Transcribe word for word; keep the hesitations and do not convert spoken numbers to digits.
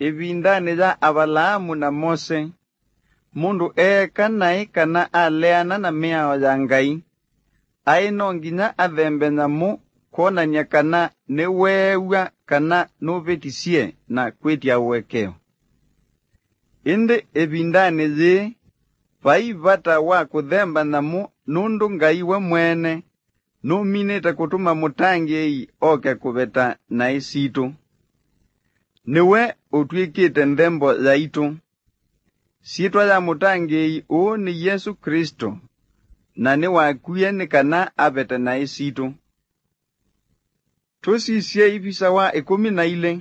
ĩvindanĩ ya Avalaamu na Mose, mũndũ eeka naĩ kana aleana na mĩao ya Ngai, aĩ no nginya athembe nyamũ kwonany'a kana nĩweew'a kana nũvĩtisye na kwĩtya ũekeo. Ĩndĩ ĩvindanĩ yĩĩ, vai vata wa kũthemba nyamũ nũndũ Ngai we mwene nũminĩte kũtũma mũtangĩĩi oke kũveta naĩ sitũ. Nĩwe ũtw'ĩkĩte nthembo yaitũ. Syĩtwa ya mũtangĩĩi ũũ nĩ Yesũ Klĩsto, na nĩwakwie nĩ kana avete naĩ sitũ. Tũsisye ivisa wa ĩkũmi na ilĩ.